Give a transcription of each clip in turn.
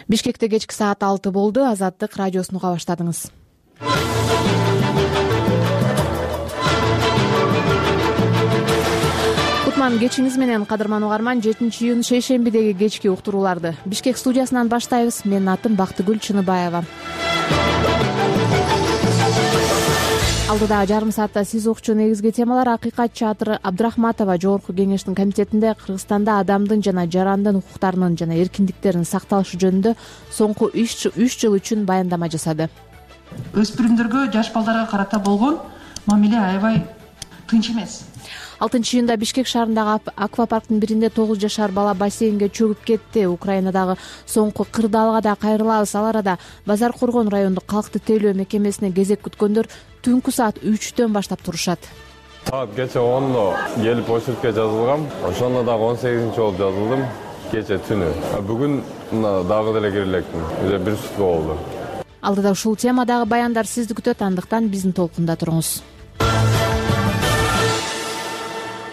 Бишкекте кечки саат 6 болду. Азаттык радиосун уга баштадыңыз. Кутман кечиңиз менен, кадырман угарман. 7-июнь шейшембидеги кечки уктурууларды Бишкек студиясынан баштайбыз. Менин атым Бактыгүл Чыныбаева. Алдыда жарым саатта сиз укчу негизги темалар: Акыйкат Чатыр Абдрахматова Жогорку кеңештин комитетинде Кыргызстанда адамдын жана жарандын укуктарынын жана эркиндиктеринин сакталышы жөнүндө соңку 3 жыл үчүн баяндама жасады. Өспүрүмдөргө, жаш балдарга карата болгон мамиле аябай тынч эмес. 6-июнда Бишкек шаарындагы аквапарктын биринде 9 жашар бала бассейнге чөгүп кетти. Украинадагы соңку кырдаалга да кайрылабыз. Ал арада Базар Коргон райондук калкты тейлөө мекемесине кезек күткөндөр түнкү саат 3төн баштап турушат. Саат кече 10-до келип очередке жазылгам. Ошондо дагы 18-чи болуп жазылдым. Кече түнү. Бүгүн дагы деле кире электим. Уже бир сутка болду. Алдыда ушул темадагы баяндар сизди күтөт. Андыктан биздин толкунда туруңуз.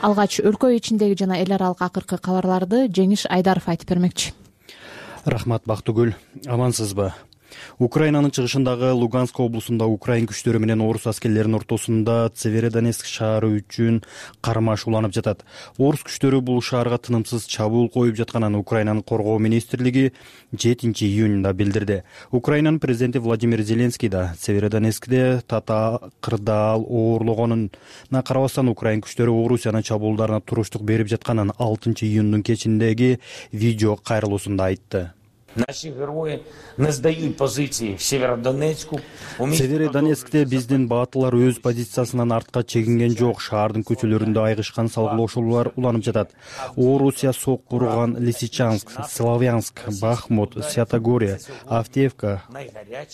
Алгач өлкө ичиндеги жана эл аралык акыркы кабарларды Жеңиш Айдаров айтып бермекчи. Рахмат Бактыгүл. Амансызбы? Украинанын чыгышындагы Луганск облусунда Украин күчтөрү менен орус аскерлеринин ортосунда Северодонецк шаары үчүн кармаш уланып жатат. Орус күчтөрү бул шаарга тынымсыз чабуул коюп жатканын Украинанын коргоо министрлиги 7-июнда билдирди. Украинанын президенти Владимир Зеленский да Северодонецкте кырдаал оорлогонуна карабастан Украин күчтөрү Орусиянын чабуулдарына туруштук берип жатканын 6-июндун кечиндеги видео кайрылуусунда айтты. Наши герои не сдают позиции в Северодонецку. Северодонецкте биздин баатылар өз позициясынан артка чегинген жок. Шаардын көчөлөрүндө айгышкан салгылоошуулар уланып жатат. Орусия сокку урган Лисичанск, Славянск, Бахмут, Святогория, Автеевка,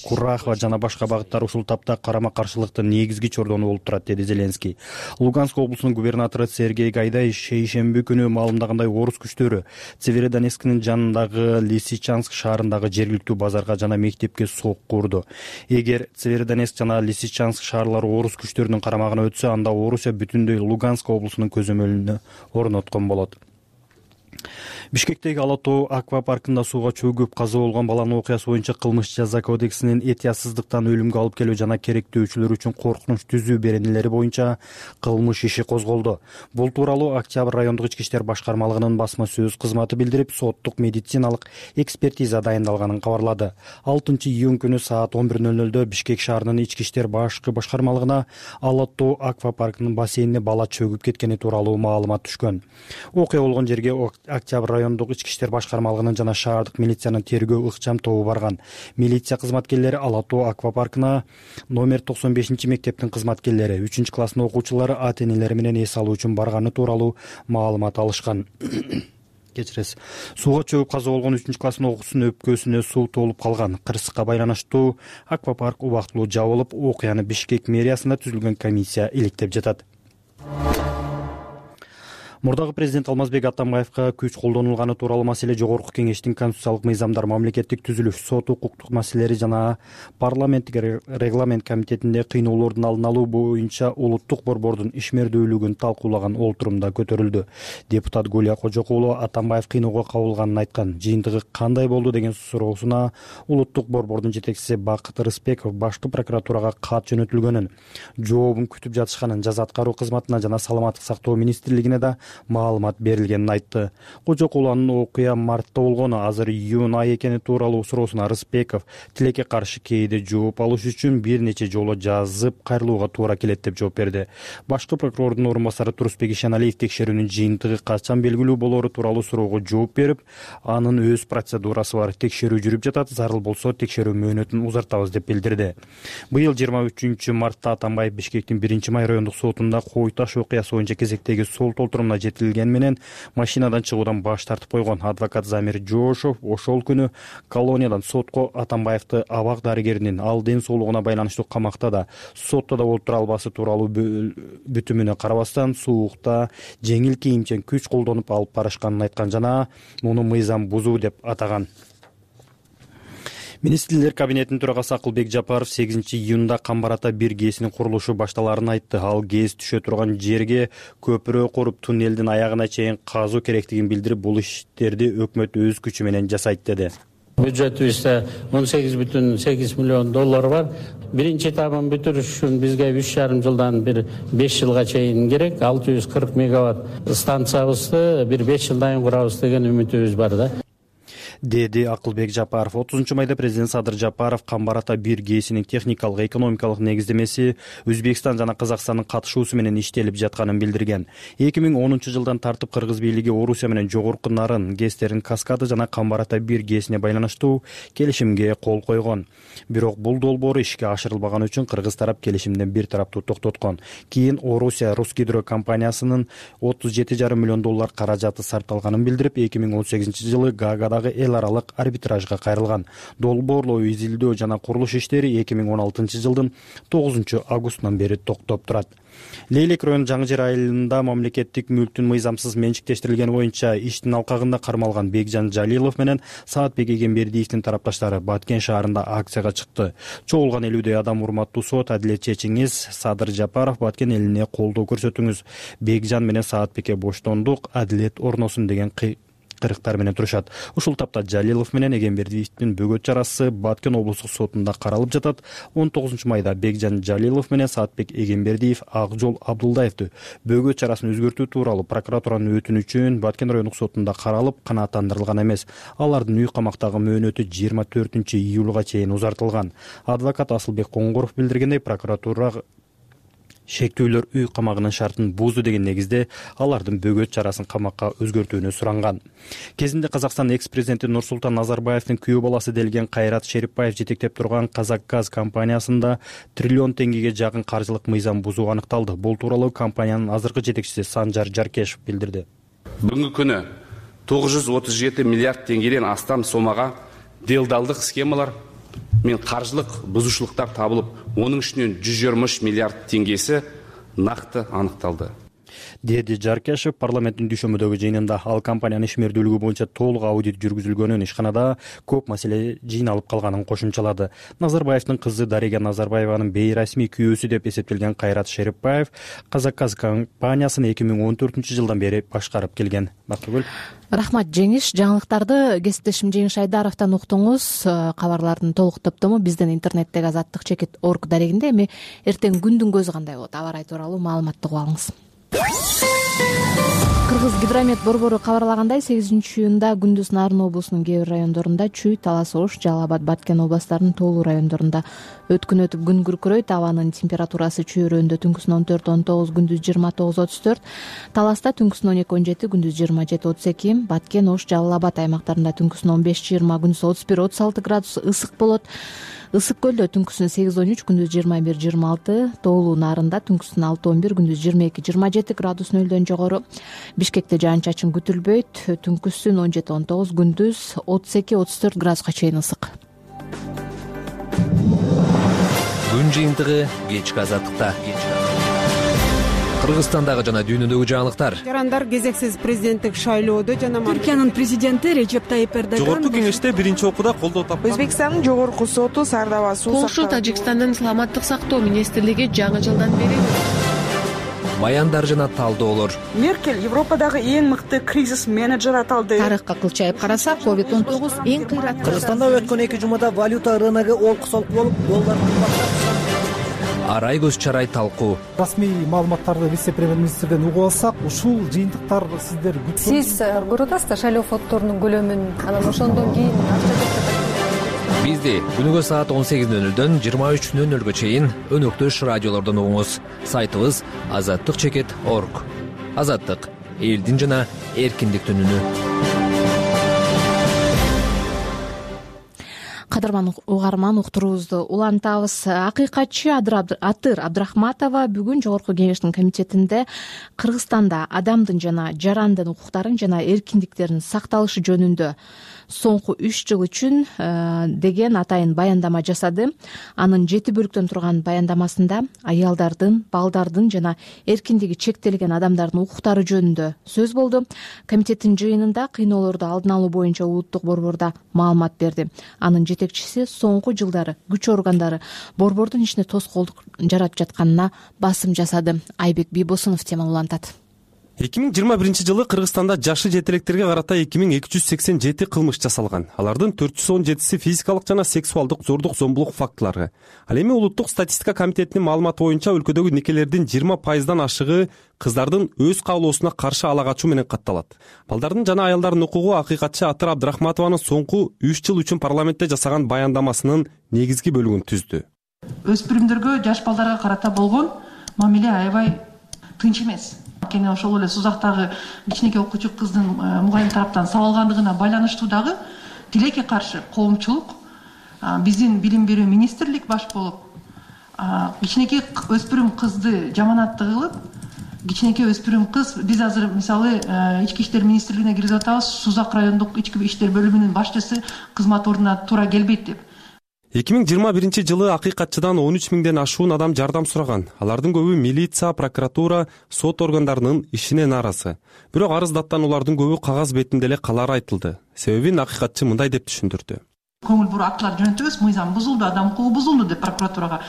Курахова жана башка багыттар ушул тапта карама-каршылыктын негизги чордону болуп турат, деди Зеленский. Луганск облусунун губернатору Сергей Гайдай шейшемби күнү маалымдагандай, орус күчтөрү Северодонецктин жанындагы Лисичанск шаарындагы жергиликтүү базарга жана мектепке сокку урду. Эгер Северодонецк жана Лисичанск шаарлары орус күчтөрүнүн карамагына өтсө, анда Орусия бүтүндөй Луганск облусунун көзөмөлүнө орноткон болот. Бишкектеги Ала Тоо аквапаркында сууга чөгүп каза болгон баланын окуясы боюнча кылмыш жаза кодексинин этиясыздыктан өлүмгө алып келүү жана керектөөчүлөр үчүн коркунуч түзүү беренелери боюнча кылмыш иши козголду. Бул тууралуу Октябрь райондук ички иштер башкармалыгынын басма сөз кызматы билдирип, соттук медициналык экспертиза дайындалганын кабарлады. 6-июнь күнү саат 11:00 Бишкек шаарынын ички иштер башкармалыгына Ала Тоо аквапаркынын бассейнине бала чөгүп кеткени тууралуу маалымат түшкөн. Окуя болгон жерге Октябрь райондук ички иштер башкармалыгынын жана шаардык милициянын тергөө ыкчам тобу барган. Милиция кызматкерлери Ала Тоо аквапаркына номер 95 мектептин кызматкерлери, 3-класстын окуучулары ата-энелери менен эс алуу үчүн барганы тууралуу маалымат алышкан. Кечиресиз. Сууга чөгүп каза болгон 3-класстын окуучусунун өпкөсүнө суу толуп калган. Кырсыкка байланыштуу аквапарк убактылуу жабылып, окуяны Бишкек мэриясында түзүлгөн комиссия иликтеп жатат. Мурдагы президент Алмазбек Атамбаевка күч колдонулганы тууралуу маселе Жогорку кеңештин конституциялык мыйзамдар, мамлекеттик түзүлүш, сот укуктук маселелери жана парламенттик регламент комитетинде кыйноолордун алдын алуу боюнча улуттук борбордун ишмердүүлүгүн талкуулаган олтурумда көтөрүлдү. Депутат Гулия Кожокулова Атамбаев кыйноого кабылганын айткан. Жыйынтыгы кандай болду деген суроосуна улуттук борбордун жетекчиси Бакыт Рыспеков башкы прокуратурага кат жөнөтүлгөнүн, жообун күтүп жатышканын, жаза аткаруу кызматына жана саламаттык сактоо министрлигине да маалымат берилгенин айтты. Кожокулованын окуя мартта болгону, азыр июнь ай экени тууралуу суроосуна Рыспеков тилекке каршы кээде жооп алыш үчүн бир нече жолу жазып кайрылууга туура келет деп жооп берди. Башкы прокурордун орун басары Турусбек Ишеналиев текшерүүнүн жыйынтыгы качан белгилүү болору тууралуу суроого жооп берип, анын өз процедурасы бар, текшерүү жүрүп жатат, зарыл болсо текшерүү мөөнөтүн узартабыз деп билдирди. Быйыл 23 мартта Атамбаев Бишкектин 1-май райондук сотунда Кой таш окуясы боюнча кезектеги сот олтурумуна жетилген менен машинадан чыгуудан баш тартып койгон. Адвокат Замир Жошов ошол күнү колониядан сотко Атамбаевди абак дарыгеринин ал ден соолугуна байланыштуу камакта да, сотто да отура албасы тууралуу бүтүмүнө карабастан суукта жеңил кийимчен күч колдонуп алып барышканын айткан жана муну мыйзам бузуу деп атаган. Министрлер кабинетинин төрагасы Акылбек Жапаров 8-июнда Камбарата бир ГЭСинин курулушу башталарын айтты. Ал ГЭС түшө турган жерге көпүрө куруп, туннелдин аягына чейин казуу керектигин билдирип, бул иштерди өкмөт өз күчү менен жасайт деди. Бюджетибизде 18,8 миллион доллар бар. Биринчи этабын бүтүрүш үчүн бизге 3,5 жылдан бир 5 жылга чейин керек. 640 мегаватт станциябызды бир 5 жылдан кийин курабыз деген үмүтүбүз бар да. Деди Акылбек Жапаров. 30-майда президент Садыр Жапаров Камбар Ата 1 ГЭСинин техникалык, экономикалык негиздемеси Өзбекстан жана Казакстандын катышуусу менен иштелип жатканын билдирген. 2010-жылдан тартып Кыргыз бийлиги Орусия менен жогорку нарын ГЭСтерин Каскады жана Камбар Ата 1 ГЭСине байланыштуу келишимге кол койгон. Бирок бул долбоор ишке ашырылбаган үчүн кыргыз тарап келишимден бир тараптуу токтоткон. Кийин Орусия Русгидро компаниясынын 37,5 миллион доллар каражаты сарпталганын билдирип, 2018-жылы Гаагадагы эл аралык арбитражга кайрылган. Долбоорлоо, изилдөө жана курулуш иштери 2016-жылдын 9-августунан бери токтоп турат. Лейлек район Жаңы Жер айылында мамлекеттик мүлктүн мыйзамсыз менчиктештирилгени боюнча иштин алкагында кармалган Бекжан Жалилов менен Саатбек Эгембердиевдин тарапташтары Баткен шаарында акцияга чыкты. Чогулган 50 адам урматтуу сот, адилет чечиңиз, Садыр Жапаров Баткен элине колдоо көрсөтүңүз. Бекжан менен Саатбекке боштондук, адилет орносун деген кырыктар менен турушат. Ушул тапта Жалилов менен Эгембердиевдин бөгөт чарасы Баткен облустук сотунда каралып жатат. 19-майда Бекжан Жалилов менен Саатбек Эгембердиев Акжол Абдулдаевди бөгөт чарасын өзгөртүү тууралуу прокуратуранын өтүнүчүн Баткен райондук сотунда каралып, канааттандырылган эмес. Алардын үй камактагы мөөнөтү 24-июлга чейин узартылган. Адвокат Асылбек Коңгоров билдиргендей, прокуратура шектүүлөр үй камагынын шартын бузду деген негизде алардын бөгөт чарасын камакка өзгөртүүнү суранган. Кезинде Казакстан экс-президенти Нурсултан Назарбаевдин күйөө баласы делген Кайрат Шерипбаев жетектеп турган Казакгаз компаниясында триллион теңгеге жакын каржылык мыйзам бузуу аныкталды. Бул тууралуу компаниянын азыркы жетекчиси Санжар Жаркешев билдирди. Бүгүнкү күнү 937 миллиард теңгеден астам сомага делдалдык схемалар мен каржылык бузушулуктар табылып, onun ішінен 123 миллиард теңгесі нақты аныкталды. Деди Жаркешев парламенттин дүйшөмөдөгү жыйынында ал компаниянын ишмердүүлүгү боюнча толук аудит жүргүзүлгөнүн, ишканада көп маселе жыйналып калганын кошумчалады. Назарбаевдин кызы Дарига Назарбаеванын бейрасмий күйөөсү деп эсептелген Кайрат Шерипбаев Казакгаз компаниясын 2014-жылдан бери башкарып келген. Бактыгүл. Рахмат Жеңиш. Жаңылыктарды кесиптешим Жеңиш Айдаровдон уктуңуз. Кабарлардын толук топтому биздин интернеттеги azattikcheket.org дарегинде. Эми эртең күндүн көзү кандай болот? Аба ырайы тууралуу маалыматты угуп алыңыз. Кыргыз гидромет борбору кабарлагандай, 8-июнда күндүз Нарын облусунун кээ бир райондорунда Чүй, Талас, Ош, Жалал Абад, Баткен областарынын тоолуу райондорунда өткүн өтүп күн күркүрөйт. Абанын температурасы Чүй районунда түнкүсүн 14-19, күндүз 29-34, Таласта түнкүсүн 12-17, күндүз 27-32, Баткен, Ош, Жалал Абад аймактарында түнкүсүн 15-20, күндүз 31-36 градус ысык болот. Ысык көлдө түнкүсүн 8-13, күндүз 21-26, тоолуу Нарында түнкүсүн 6-11, күндүз 22-27 градус нөлдөн жогору. Бишкекте жаан-чачын күтүлбөйт, түнкүсүн 17-19, күндүз 32-34 градуска чейин ысык. Күн жыйынтыгы кечки азаттыкта. Кыргызстандагы жана дүйнөдөгү жаңылыктар. Жарандар кезексиз президенттик шайлоодо жана Түркиянын президенти Режеп Тайип Эрдоган жогорку кеңеште биринчи окууда колдоо тапкан. Өзбекстандын жогорку соту Сардава суу Полша, Тажикстандын саламаттык сактоо министрлиги жаңы жылдан бери баяндар жана талдоолор. Меркель Европадагы эң мыкты кризис менеджер аталды. Тарыхка кылчайып карасак, COVID-19 эң кыйраттуу. Кыргызстанда өткөн 2 жумада валюта рыногу олку-солку болуп, доллар кымбаттап. Арай көз чарай талкуу. Расмий маалыматтарды вице-премьер-министрден угуп алсак, ушул жыйынтыктар сиздер күткөн. Сиз көрүп атасызбы шайлоо фонддорунун көлөмүн, анан ошондон кийин Бизди күнүгө саат 18:00-дөн 23:00-гө чейин өнөктөш радиолордон угуңуз. Сайтыбыз azattikcheket.org. Азаттык элдин жана эркиндиктин үнү. Кадырман угарман, уктуруубузду улантабыз. Акыйкатчы Атыр Абдрахматова бүгүн Жогорку Кеңештин комитетинде Кыргызстанда адамдын жана жарандын укуктарын жана эркиндиктеринин сакталышы жөнүндө соңку 3 жыл үчүн деген атайын баяндама жасады. Анын 7 бөлүктөн турган баяндамасында аялдардын, балдардын жана эркиндиги чектелген адамдардын укуктары жөнүндө сөз болду. Комитеттин жыйынында кыйноолорду алдын алуу боюнча улуттук борбордо маалымат берди. Анын жетекчиси соңку жылдары күч органдары борбордун ишине тоскоолдук жаратып жатканына басым жасады. Айбек Бийбосунов теманы улантат. 2021 жылы Кыргызстанда жашы жетелектерге карата 2287 кылмыш жасалган. Алардын 417си физикалык жана сексуалдык зордук зомбулук фактылары. Ал эми улуттук статистика комитетинин маалыматы боюнча өлкөдөгү никелердин 20% ашыгы кыздардын өз каалоосуна каршы ала качуу менен катталат. Балдардын жана аялдардын укугу акыйкатчы Атыр Абдрахматованын соңку 3 жыл үчүн парламентте жасаган баяндамасынын негизги бөлүгүн түздү. Өспүрүмдөргө, жаш балдарга карата болгон мамиле аябай тынч эмес. Анткени ошол эле Сузактагы кичинекей окуучу кыздын мугалим тараптан сабалгандыгына байланыштуу дагы тилекке каршы коомчулук биздин билим берүү министрлик баш болуп кичинекей өспүрүм кызды жаманатты кылып, кичинекей өспүрүм кыз биз азыр мисалы ички иштер министрлигине киргизип атабыз, Сузак райондук ички иштер бөлүмүнүн башчысы кызмат ордуна туура келбейт деп. 2021 жылы акыйкатчыдан 13 миңден ашуун адам жардам сураган. Алардын көбү милиция, прокуратура, сот органдарынын ишине нааразы. Бирок арыздаттан улардын көбү кагаз бетинде эле калары айтылды. Себебин акыйкатчы мындай деп түшүндүрдү. Көңүл буруп актылар жөнөтөбүз, мыйзам бузулду, адам укугу бузулду деп прокуратурага.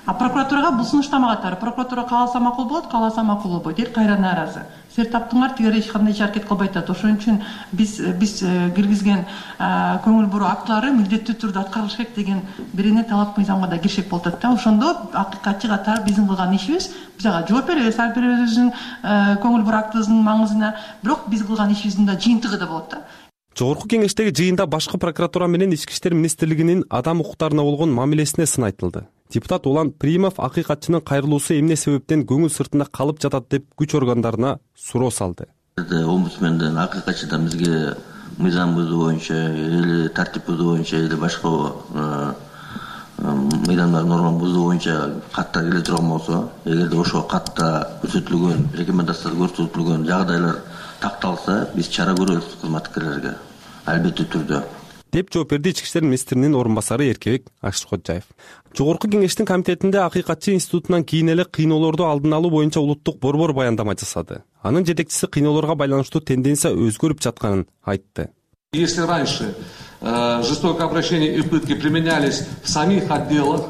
Прокуратурага бул сунуштама катары. Прокуратура кааласа макул болот, кааласа макул болбойт. Эл кайра нааразы. Силер таптыңар, тигер эч кандай аракет кылбайт атат. Ошон үчүн биз киргизген көңүл буруу актылары милдеттүү түрдө аткарылыш керек деген бирине талап мыйзамга да киришек болуп атат да. Ошондо акыйкатчы катары биздин кылган ишибиз, биз ага жооп беребиз, ар бирибиздин көңүл буруу актыбыздын маңызына, бирок биз кылган ишибиздин да жыйынтыгы да болот да. Жогорку кеңештеги жыйында башкы прокуратура менен ички иштер министрлигинин адам укуктарына болгон мамилесине сын айтылды. Депутат Улан Примов акыйкатчынын кайрылуусу эмне себептен көңүл сыртында калып жатат деп күч органдарына суроо салды. Омбудсменден акыйкатчыдан бизге мыйзам бузуу боюнча или тартип бузуу боюнча или башка мыйзамдар норма бузуу боюнча каттар келе турган болсо, эгерде ошол катта көрсөтүлгөн рекомендациялар көрсөтүлгөн жагдайлар такталса, биз чара көрөбүз кызматкерлерге, албеттүү түрдө. Деп жооп берди ички иштер министринин орун басары Эркебек Акшкоджаев. Жогорку кеңештин комитетинде акыйкатчы институтунан кийин эле кыйноолорду алдын алуу боюнча улуттук борбор баяндама жасады. Анын жетекчиси кыйноолорго байланыштуу тенденция өзгөрүп жатканын айтты. Если раньше жестокое обращение и пытки применялись в самих отделах,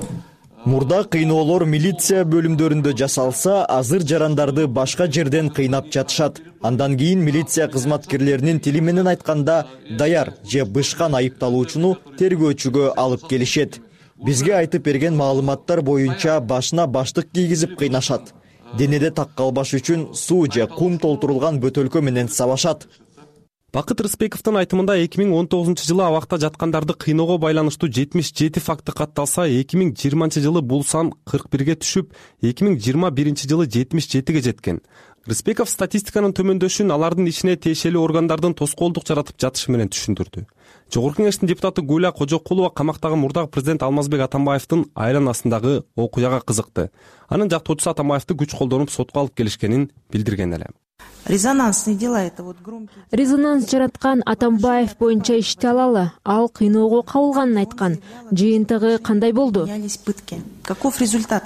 мурда кыйноолор милиция бөлүмдөрүндө жасалса, азыр жарандарды башка жерден кыйнап жатышат. Андан кийин милиция кызматкерлеринин тили менен айтканда даяр же бышкан айыпталуучуну тергөөчүгө алып келишет. Бизге айтып берген маалыматтар боюнча башына баштык кийгизип кыйнашат. Денеде так калбаш үчүн суу же кум толтурулган бөтөлкө менен сабашат. Бакыт Рыспековдун айтымында 2019 жылы абакта жаткандарды кыйноого байланыштуу 77 факты катталса, 2020 жылы бул сан 41ге түшүп, 2021 жылы 77ге жеткен. Рыспеков статистиканын төмөндөшүн алардын ишине тиешелүү органдардын тоскоолдук жаратып жатышы менен түшүндүрдү. Жогорку кеңештин депутаты Гуля Кожокулова камактагы мурдагы президент Алмазбек Атамбаевдин айланасындагы окуяга кызыкты. Анын жактоочусу Атамбаевди күч колдонуп сотко алып келишкенин билдирген эле. Резонансные дела это вот громкие. Резонанс жараткан Атамбаев боюнча ишти алалы. Ал кыйноого кабылганын айткан. Жыйынтыгы кандай болду? Каков результат?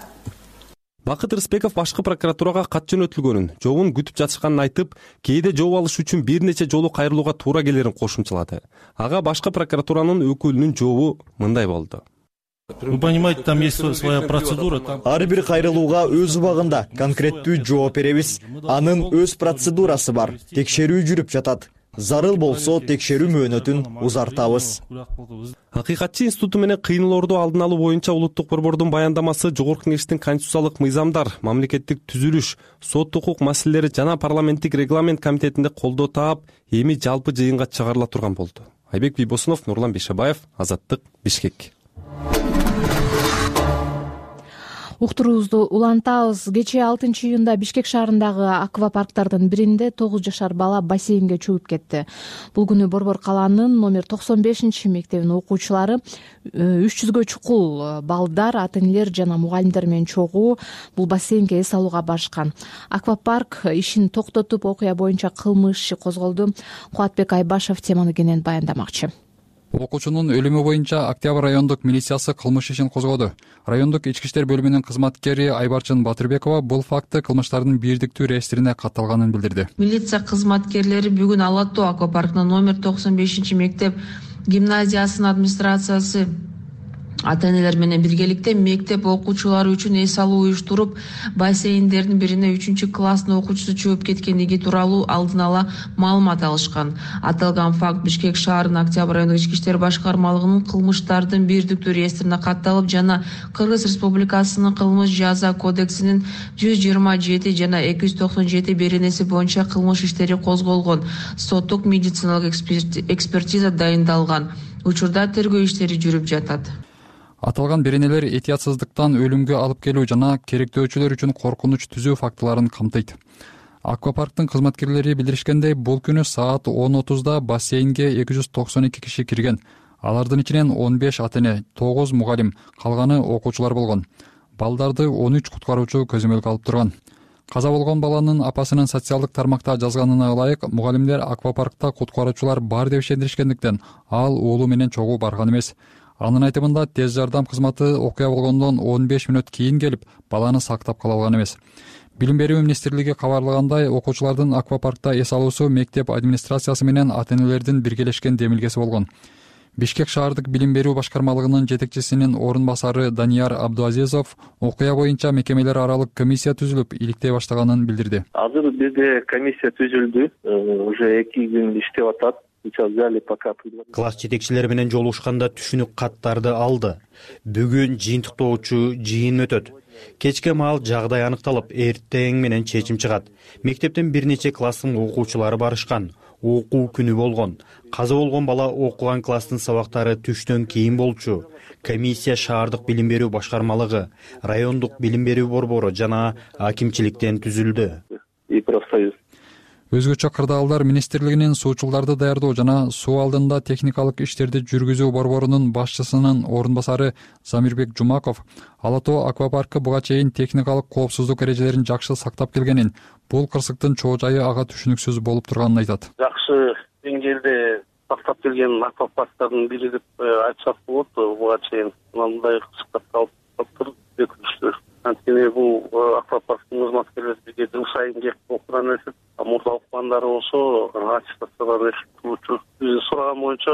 Бакыт Рыспеков башкы прокуратурага кат жөнөтүлгөнүн, жообун күтүп жатышканын айтып, кээде жооп алыш үчүн бир нече жолу кайрылууга туура келерин кошумчалады. Ага башкы прокуратуранын өкүлүнүн жообу мындай болду. Вы понимаете, там есть своя процедура. Ар бир кайрылууга өз убагында конкреттүү жооп беребиз. Анын өз процедурасы бар. Текшерүү жүрүп жатат. Зарыл болсо текшерүү мөөнөтүн узартабыз. Акыйкатчы институту менен кыйноолорду алдын алуу боюнча улуттук борбордун баяндамасы Жогорку кеңештин конституциялык мыйзамдар, мамлекеттик түзүлүш, сот укук маселелери жана парламенттик регламент комитетинде колдоо таап, эми жалпы жыйынга чыгарыла турган болду. Айбек Бийбосунов, Нурлан Бейшебаев, Азаттык, Бишкек. Уктуруубузду улантабыз. Кечээ 6-июнда Бишкек шаарындагы аквапарктардын биринде 9 жашар бала бассейнге чөгүп кетти. Бул күнү Борбор калаанын номер 95-мектебинин окуучулары 300гө чукул балдар, ата-энелер жана мугалимдер менен чогуу бул бассейнге эс алууга барышкан. Аквапарк ишин токтотуп, окуя боюнча кылмыш иши козголду. Кубатбек Айбашев теманы кенен баяндамакчы. Окуучунун өлүмү боюнча Октябрь райондук милициясы кылмыш ишин козгоду. Райондук ички иштер бөлүмүнүн кызматкери Айбарчын Батырбекова бул факты кылмыштардын бирдиктүү реестрине катталганын билдирди. Милиция кызматкерлери бүгүн Ала Тоо аквапаркынын номер 95-мектеп гимназиясынын администрациясы ата энелер менен биргеликте мектеп окуучулары үчүн эс алуу уюштуруп, бассейндердин бирине 3-класстын окуучусу чөгүп кеткендиги тууралуу алдын ала маалымат алышкан. Аталган факт Бишкек шаарынын Октябрь райондук ички иштер башкармалыгынын кылмыштардын бирдиктүү реестрине катталып жана Кыргыз Республикасынын кылмыш жаза кодексинин 127 жана 297 беренеси боюнча кылмыш иштери козголгон. Соттук медициналык экспертиза дайындалган. Учурда тергөө иштери жүрүп жатат. Аталган беренелер этиятсыздыктан өлүмгө алып келүү жана керектөөчүлөр үчүн коркунуч түзүү фактыларын камтыйт. Аквапарктын кызматкерлери билдиришкендей, бул күнү саат 10:30 бассейнге 292 киши кирген. Алардын ичинен 15 ата эне, 9 мугалим, калганы окуучулар болгон. Балдарды 13 куткаруучу көзөмөлгө алып турган. Каза болгон баланын апасынын социалдык тармакта жазганына ылайык, мугалимдер аквапаркта куткаруучулар бар деп ишендиришкендиктен ал уулу менен чогуу барган эмес. Анын айтымында тез жардам кызматы окуя болгондон 15 мүнөт кийин келип, баланы сактап кала алган эмес. Билим берүү министрлиги кабарлагандай, окуучулардын аквапаркта эс алуусу мектеп администрациясы менен ата энелердин биргелешкен демилгеси болгон. Бишкек шаардык билим берүү башкармалыгынын жетекчисинин орун басары Данияр Абдуазизов окуя боюнча мекемелер аралык комиссия түзүлүп, иликтей баштаганын билдирди. Азыр бизде комиссия түзүлдү, уже 2 күн иштеп атат. Класс жетекчилери менен жолугушканда түшүнүк каттарды алды. Бүгүн жыйынтыктоочу жыйын өтөт. Кечке маал жагдай аныкталып, эртең менен чечим чыгат. Мектептен бир нече класстын окуучулары барышкан. Окуу күнү болгон. Каза болгон бала окуган класстын сабактары түштөн кийин болчу. Комиссия шаардык билим берүү башкармалыгы, райондук билим берүү борбору жана акимчиликтен түзүлдү. Өзгөчө кырдаалдар министрлигинин суучулдарды даярдоо жана суу алдында техникалык иштерди жүргүзүү борборунун башчысынын орун басары Замирбек Жумаков Ала Тоо аквапаркы буга чейин техникалык коопсуздук эрежелерин жакшы сактап келгенин, бул кырсыктын чоо жайы ага түшүнүксүз болуп турганын айтат. Жакшы деңгээлде сактап келген аквапарктардын бири деп айтсак болот. Буга чейин мындай кырсыктар калып туруп анткени бул аквапарктын кызматкерлери бизге жыл сайын келип окуудан өтүп, мурда окугандары болсо аттестациядан өтүп турчу. Биз сураган боюнча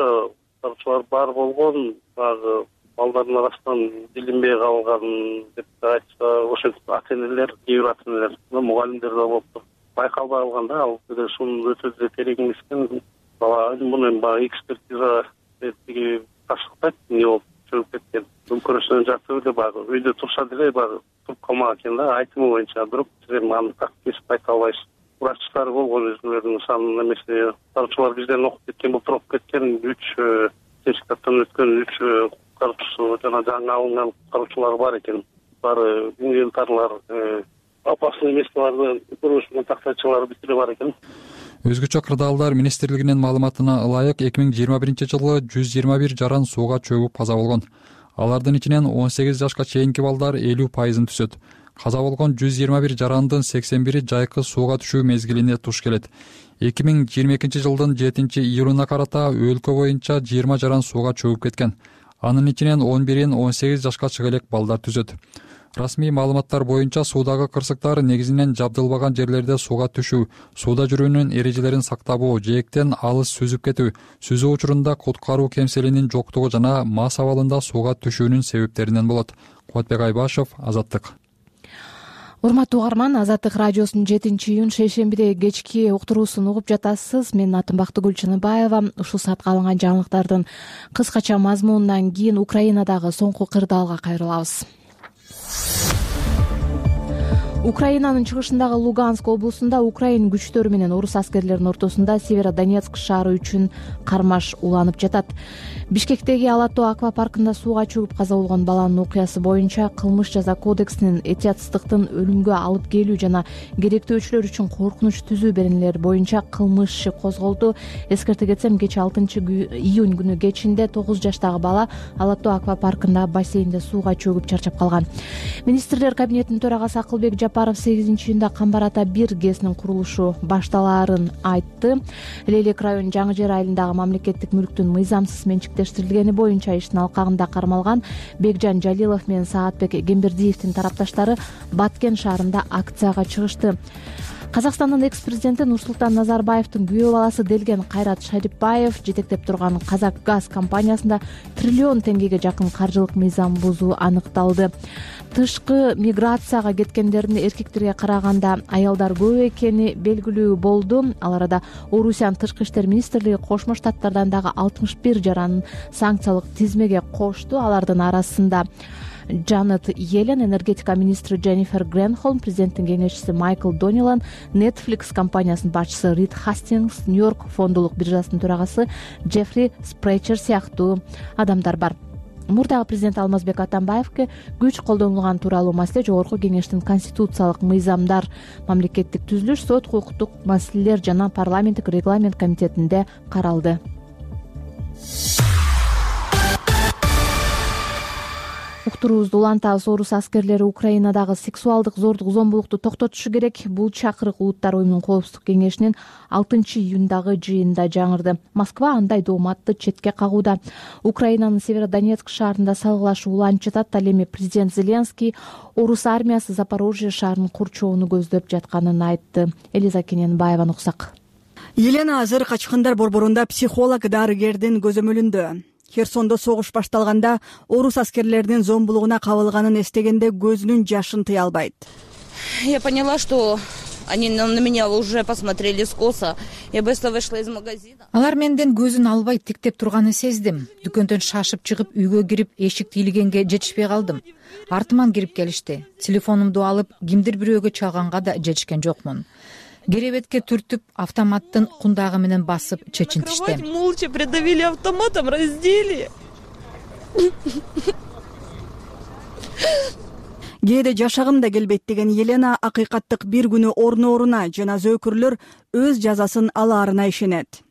куткаруучулар бар болгон, баягы балдардын арасынан билинбей калган деп айтса, ошентип ата энелер, кээ бир ата энелер, мугалимдер да болуптур. Байкалбай калганда ал сунун өтө терең эмес экен. Муну баягы экспертиза тиги ташыктайт, эмне болуп чөгүп кеткен. Мүмкүнчүлүгүн жатып эле баягы үйдө турса деле баягы туруп калмаган экен да, айтымы боюнча бирок сиз аны так кесип айта албайсыз. Врачтар болгон өзүлөрүнүн санын эмесе, куткаруучулар бизден окуп кеткен, былтыр окуп кеткен 3 сертификаттан өткөн 3 куткаруучусу жана жаңы алынган куткаруучулар бар экен. Баары инвентарлар, опасный местоларды көрүшүн тактайчылары бүт эле бар экен. Өзгөчө кырдаалдар министрлигинин маалыматына ылайык 2021-жылы 121 жаран сууга чөгүп каза болгон. Алардын ичинен 18 жашка чейинки балдар 50% түзөт. Каза болгон 121 жарандын 81-и жайкы сууга түшүү мезгилине туш келет. 2022-жылдын 7-июлуна карата өлкө боюнча 20 жаран сууга чөгүп кеткен. Анын ичинен 11-ин 18 жашка чыга элек балдар түзөт. Расмий маалыматтар боюнча суудагы кырсыктар негизинен жабдылбаган жерлерде сууга түшүү, сууда жүрүүнүн эрежелерин сактабоо, жээктен алыс сүзүп кетүү, сүзүү учурунда куткаруу кемселинин жоктугу жана мас абалында сууга түшүүнүн себептеринен болот. Кубатбек Айбашев, Азаттык. Урматтуу угарман, Азаттык радиосунун 7-июнь шейшембиде кечки уктуруусун угуп жатасыз. Менин атым Бактыгүл Чыныбаева. Ушул саатка алынган жаңылыктардын кыскача мазмунунан кийин Украинадагы соңку кырдаалга кайрылабыз. Украинанын чыгышындагы Луганск облусунда Украин күчтөрү менен орус аскерлеринин ортосунда Северодонецк шаары үчүн кармаш уланып жатат. Бишкектеги Ала Тоо аквапаркында сууга чөгүп каза болгон баланын окуясы боюнча кылмыш жаза кодексинин этиятсыздыктын өлүмгө алып келүү жана керектөөчүлөр үчүн коркунуч түзүү беренелери боюнча кылмыш иши козголду. Эскерте кетсем, кечээ 6-июнь күнү кечинде 9 жаштагы бала Ала Тоо аквапаркында бассейнде сууга чөгүп чарчап калган. Министрлер кабинетинин төрагасы Акылбек Жапаров 8-июнда Камбар ата 1 ГЭСнин курулушу башталаарын айтты. Лейлек районунун Жаңы Жер айылындагы мамлекеттик мүлктүн мыйзамсыз менчиктештирилгени боюнча иштин алкагында кармалган Бекжан Жалилов менен Саатбек Кембердиевдин тарапташтары Баткен шаарында акцияга чыгышты. Казакстандын экс президенти Нурсултан Назарбаевдин күйөө баласы делген Кайрат Шарипбаев жетектеп турган Казак газ компаниясында триллион теңгеге жакын каржылык мыйзам бузуу аныкталды. Тышкы миграцияга кеткендердин эркектерге караганда аялдар көп экени белгилүү болду. Ал арада Орусиянын тышкы иштер министрлиги Кошмо Штаттардан дагы 61 жаранын санкциялык тизмеге кошту. Алардын арасында Джанет Йеллен, энергетика министри Дженнифер Гренхолм, президенттин кеңешчиси Майкл Донилан, Netflix компаниясынын башчысы Рид Хастингс, Нью-Йорк фондулук биржасынын төрагасы Джеффри Спрейчер сыяктуу адамдар бар. Мурдагы президент Алмазбек Атамбаевге күч колдонулган тууралуу маселе Жогорку кеңештин конституциялык мыйзамдар, мамлекеттик түзүлүш, сот укуктук маселелер жана парламенттик регламент комитетинде каралды. Уктуруубузду улантабыз. Орус аскерлери Украинадагы сексуалдык зордук зомбулукту токтотушу керек. Бул чакырык Улуттар уюмунун коопсуздук кеңешинин 6-июндагы жыйынында жаңырды. Москва андай дооматты четке кагууда. Украинанын Северодонецк шаарында салгылашуу уланып жатат. Ал эми президент Зеленский орус армиясы Запорожье шаарынын курчоонун көздөп жатканын айтты. Элиза Кененбаеваны уксак. Елена азыр качкындар борборунда психолог дарыгердин көзөмөлүндө. Херсондо согуш башталганда орус аскерлеринин зомбулугуна кабылганын эстегенде көзүнүн жашын тыя албайт. Я поняла, что они на меня уже посмотрели скоса. Я быстро вышла из магазина. Алар менден көзүн албай тиктеп турганын сездим. Дүкөндөн шашып чыгып үйгө кирип эшикти илигенге жетишпей калдым. Артыман кирип келишти. Телефонумду алып кимдир бирөөгө чалганга да жетишкен жокмун. Керебетке түртүп, автоматтын кундагы менен басып чечинтишти. Молча придавили автоматом, раздели. Кээде жашагым да келбейт деген Елена акыйкаттык бир күнү орно-оруна жана зөөкүрлөр өз жазасын алаарына ишенет.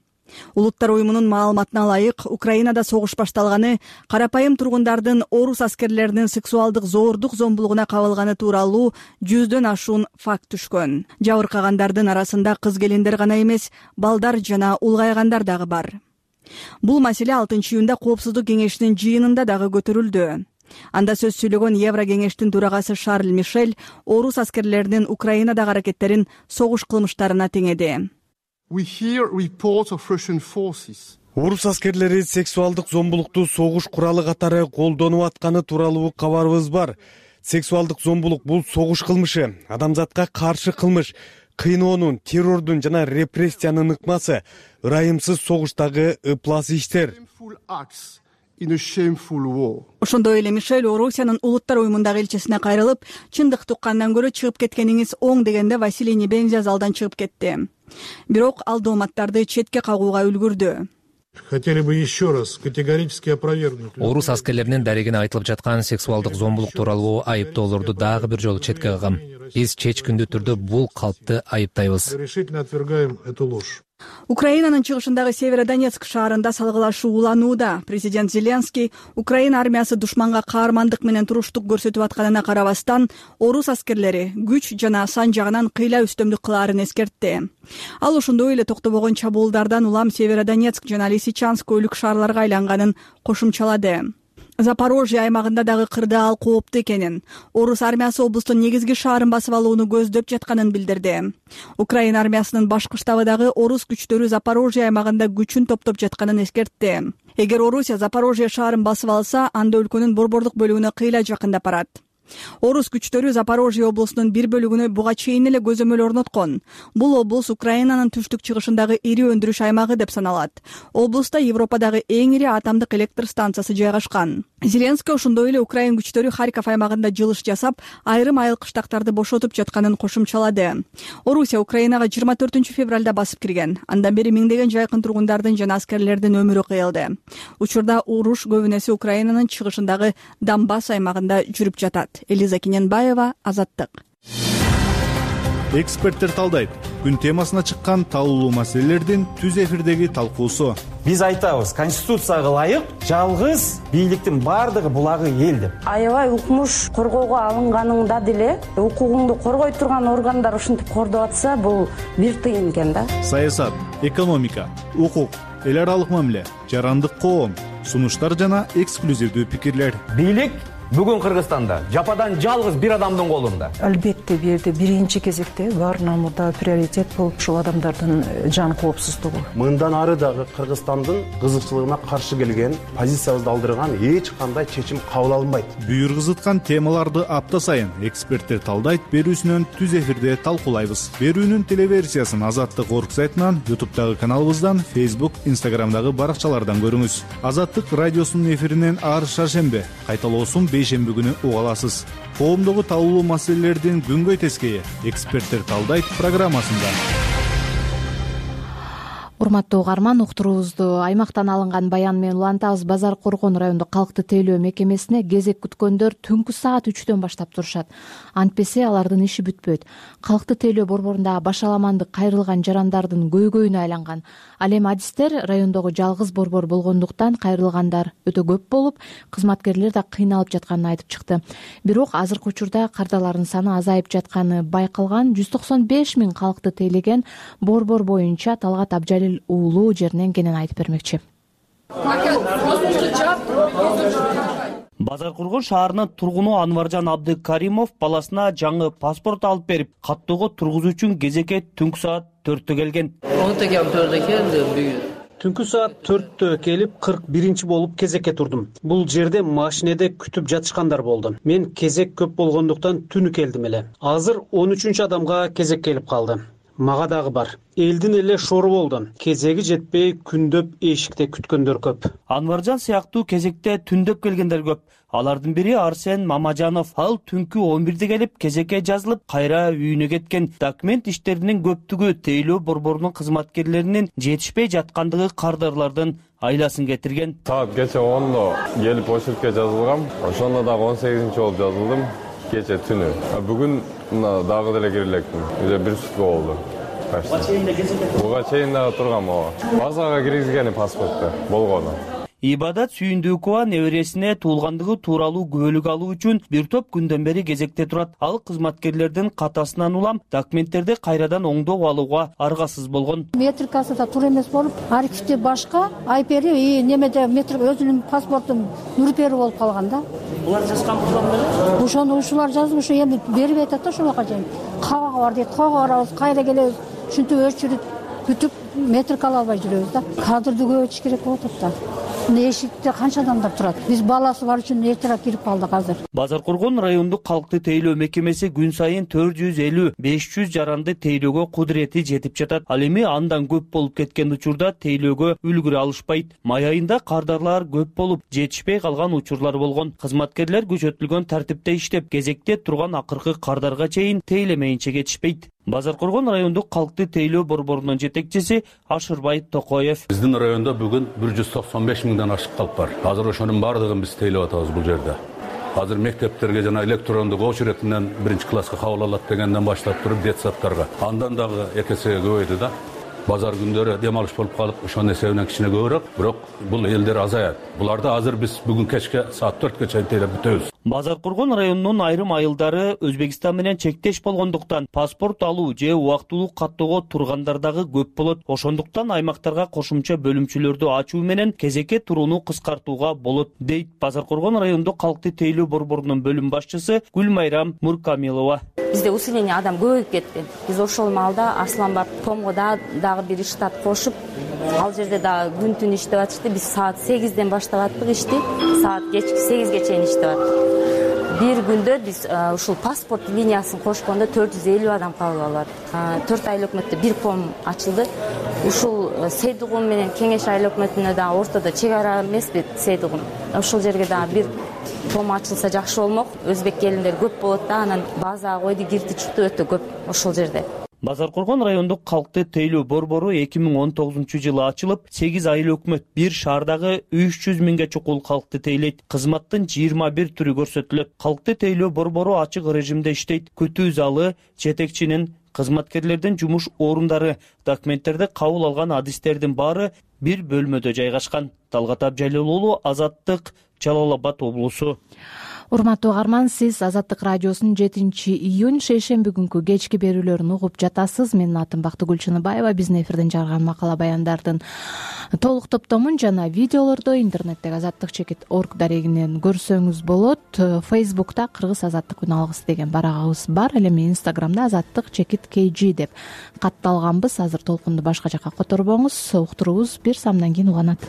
Улуттар уюмунун маалыматына ылайык, Украинада согуш башталганы карапайым тургундардын орус аскерлеринин сексуалдык зордук зомбулугуна кабылганы тууралуу 100дөн ашуун факт түшкөн. Жабыркагандардын арасында кыз келиндер гана эмес, балдар жана улгайгандар дагы бар. Бул маселе 6-июнда коопсуздук кеңешинин жыйынында дагы көтөрүлдү. Анда сөз сүйлөгөн Евро кеңештин төрагасы Шарль Мишель орус аскерлеринин Украинадагы аракеттерин согуш кылмыштарына теңеди. Орус аскерлери сексуалдык зомбулукту согуш куралы катары колдонуп атканы тууралуу кабарыбыз бар. Сексуалдык зомбулук бул согуш кылмышы, адамзатка каршы кылмыш, кыйноонун, террордун жана репрессиянын ыкмасы, ырайымсыз согуштагы ыплас иштер. Ошондой эле Мишель Орусиянын Улуттар уюмундагы элчисине кайрылып, чындыкты уккандан көрө чыгып кеткениңиз оң дегенде Василий Небензя залдан чыгып кетти. Бирок ал дооматтарды четке кагууга үлгүрдү. Хотели бы еще раз категорически опровергнуть. Орус аскерлеринин дарегине айтылып жаткан сексуалдык зомбулук тууралуу айыптоолорду дагы бир жолу четке кагам. Биз чечкиндүү түрдө бул калпты айыптайбыз. Решительно отвергаем эту ложь. Украинанын чыгышындагы Северодонецк шаарында салгылашуу уланууда. Президент Зеленский Украина армиясы душманга каармандык менен туруштук көрсөтүп атканына карабастан, орус аскерлери күч жана сан жагынан кыйла үстөмдүк кылаарын эскертти. Ал ошондой эле токтобогон чабуулдардан улам Северодонецк жана Лисичанск өлүк шаарларга айланганын кошумчалады. Запорожье аймагында дагы кырдаал кооптуу экенин, орус армиясы облустун негизги шаарын басып алууну көздөп жатканын билдирди. Украина армиясынын башкы штабы дагы орус күчтөрү Запорожье аймагында күчүн топтоп жатканын эскертти. Эгер Орусия Запорожье шаарын басып алса, анда өлкөнүн борбордук бөлүгүнө кыйла жакындап барат. Орус күчтөрү Запорожье облусунун бир бөлүгүнө буга чейин эле көзөмөл орноткон. Бул облус Украинанын түштүк чыгышындагы ири өндүрүш аймагы деп саналат. Облуста Европадагы эң ири атомдук электр станциясы жайгашкан. Зеленский ошондой эле Украин күчтөрү Харьков аймагында жылыш жасап, айрым айыл кыштактарды бошотуп жатканын кошумчалады. Орусия Украинага 24 февралда басып кирген. Андан бери миңдеген жайкын тургундардын жана аскерлердин өмүрү кыйылды. Учурда уруш көбүнесе Украинанын чыгышындагы Донбасс аймагында жүрүп жатат. Элиза Кененбаева, Азаттык. Эксперттер талдайт. Күн темасына чыккан талкуулуу маселелердин түз эфирдеги талкуусу. Биз айтабыз, конституцияга ылайык жалгыз бийликтин бардыгы булагы эл деп. Аябай укмуш коргоого алынганыңда деле укугуңду коргой турган органдар ушинтип кордоп атса, бул бир тыйын экен да. Саясат, экономика, укук, эл аралык мамиле, жарандык коом, сунуштар жана эксклюзивдүү пикирлер. Бийлик Бүгүн Кыргызстанда жападан жалгыз бир адамдын колунда. Албетте бул жерде биринчи кезекте баарынан мурда приоритет болуп ушул адамдардын жан коопсуздугу. Мындан ары дагы Кыргызстандын кызыкчылыгына каршы келген, позициябызды алдырган эч кандай чечим кабыл алынбайт. Бүйүр кызыткан темаларды апта сайын эксперттер талдайт берүүсүнөн түз эфирде талкуулайбыз. Берүүнүн телеверсиясын Азаттык орг сайтынан, YouTube'дагы каналыбыздан, Facebook, Instagram'дагы баракчалардан көрүңүз. Азаттык радиосунун эфиринен ар шаршембе, кайталоосун бейшемби күнү уга аласыз. Коомдогу талкуулуу маселелердин күнгөй тескейи эксперттер талдайт программасында. Урматтуу угарман, уктуруубузду аймактан алынган баян менен улантабыз. Базар Коргон райондук калкты тейлөө мекемесине кезек күткөндөр түнкү саат 3-төн баштап турушат. Антпесе алардын иши бүтпөйт. Калкты тейлөө борборундагы башаламандык кайрылган жарандардын көйгөйүнө айланган. Ал эми адистер райондогу жалгыз борбор болгондуктан кайрылгандар өтө көп болуп, кызматкерлер да кыйналып жатканын айтып чыкты. Бирок азыркы учурда кардалардын саны азайып жатканы байкалган. 195 000 калкты тейлеген борбор боюнча Талгат Абжалил уулу жеринен кенен айтып бермекчи. Базар Коргон шаарынын тургуну Анваржан Абдыкаримов баласына жаңы паспорт алып берип, каттоого тургузуу үчүн кезекке түнкү саат 4-тө келген. Түнкү саат 4-тө келип 41-чи болуп кезекке турдум. Бул жерде машинеде күтүп жатышкандар болду. Мен кезек көп болгондуктан түнү келдим эле. Азыр 13-чү адамга кезек келип калды. Мага дагы бар. Элдин эле шору болду. Кезеги жетпей күндөп эшикте күткөндөр көп. Анваржан сыяктуу кезекте түндөп келгендер көп. Алардын бири Арсен Мамажанов. Ал түнкү 11-де келип кезекке жазылып, кайра үйүнө кеткен. Документ иштеринин көптүгү тейлөө борборунун кызматкерлеринин жетишпей жаткандыгы кардарлардын айласын кетирген. Саат кече 10-до келип очередке жазылгам. Ошондо дагы 18-чи болуп жазылдым. Кече түнү. Бүгүн дагы деле кире электим. Уже бир сутка болду. Буга чейин дагы тургам. Базага киргизгени паспортто болгону. Ибадат Сүйүндүкова небересине туулгандыгы тууралуу күбөлүк алуу үчүн бир топ күндөн бери кезекте турат. Ал кызматкерлердин катасынан улам документтерди кайрадан оңдоп алууга аргасыз болгон. Метрикасы да туура эмес болуп, архивде башка, айпери немеде метрик өзүнүн паспортун нүрпери болуп калган да. Булар жазган булар. Ошону ушулар жазып, ушу эми берип атат да ошону чейин. Кабага бар дейт, кабага барабыз, кайра келебиз. Ушинтип өчүрүп күтүп метрик ала албай жүрөбүз да. Кадрды көбөйтүш керек болуп атат да. Эшикте канча адамдар турат? Биз баласы бар үчүн эртерээк кирип калдык азыр. Базар Коргон райондук калкты тейлөө мекемеси күн сайын 450-500 жаранды тейлөөгө кудурети жетип жатат. Ал эми андан көп болуп кеткен учурда тейлөөгө үлгүрө алышпайт. Май айында кардарлар көп болуп, жетишпей калган учурлар болгон. Кызматкерлер күчөтүлгөн тартипте иштеп, кезекте турган акыркы кардарга чейин тейлемейинче кетишпейт. Базар Коргон райондук калкты тейлөө борборунун жетекчиси Ашырбай Токоев. Биздин райондо бүгүн 195 000 ашык калп бар. Азыр ошонун баардыгын биз тейлеп атабыз бул жерде. Азыр мектептерге жана электрондук очередь менен 1-класска кабыл алат дегенден баштап туруп детсадтарга андан дагы 2 эсеге көбөйдү да. Базар күндөрү дем алыш болуп калып, ошонун эсебинен кичине көбүрөөк, бирок бул элдер азаят. Буларды азыр биз бүгүн кечке саат 4ке чейин тейлеп бүтөбүз. Базар Коргон районунун айрым айылдары Өзбекстан менен чектеш болгондуктан паспорт алуу же убактылуу каттоого тургандар дагы көп болот. Ошондуктан аймактарга кошумча бөлүмчөлөрдү ачуу менен кезекке турууну кыскартууга болот, дейт Базар Коргон райондук калкты тейлөө борборунун бөлүм башчысы Гүлмайрам Муркамилова. Бизде усиление адам көбөйүп кетти. Биз ошол маалда Асланбат Комго дагы бир штат кошуп, ал жерде дагы күн түн иштеп атышты. Биз саат 8-ден баштап аттык ишти, саат кечки 8ге чейин иштеп аттык. Бир күндө биз ушул паспорт линиясын кошкондо 450 адам кабыл алат. 4 айыл өкмөттө бир ком ачылды. Ушул Сейдугун менен Кеңеш айыл өкмөтүнө дагы ортодо чек ара эмеспи Сейдугун. Ошол жерге дагы бир ком ачылса жакшы болмок. Өзбек келиндер көп болот да, анан база койду киртичти өтө көп ошол жерде. Базар Коргон райондук калкты тейлөө борбору 2019-жылы ачылып, 8 айыл өкмөт бир шаардагы 300 000ге чукул калкты тейлейт. Кызматтын 21 түрү көрсөтүлөт. Калкты тейлөө борбору ачык режимде иштейт. Күтүү залы, жетекчинин, кызматкерлердин жумуш орундары, документтерди кабыл алган адистердин баары бир бөлмөдө жайгашкан. Талгат Абжалил уулу, Азаттык, Жалал Абад облусу. Урматтуу угарман, сиз Азаттык радиосунун 7-июнь шейшемби күнкү кечки берүүлөрүн угуп жатасыз. Менин атым Бактыгүл Чыныбаева. Биздин эфирден жарган макала баяндардын толук топтомун жана видеолорду интернеттеги azattik.org дарегинен көрсөңүз болот. Facebook'та Кыргыз азаттык күн алгысы деген барагыбыз бар. Ал эми Instagram'да azattik_kg деп катталганбыз. Азыр толкунду башка жака которбоңуз. Уктуруубуз бир самдан кийин уланат.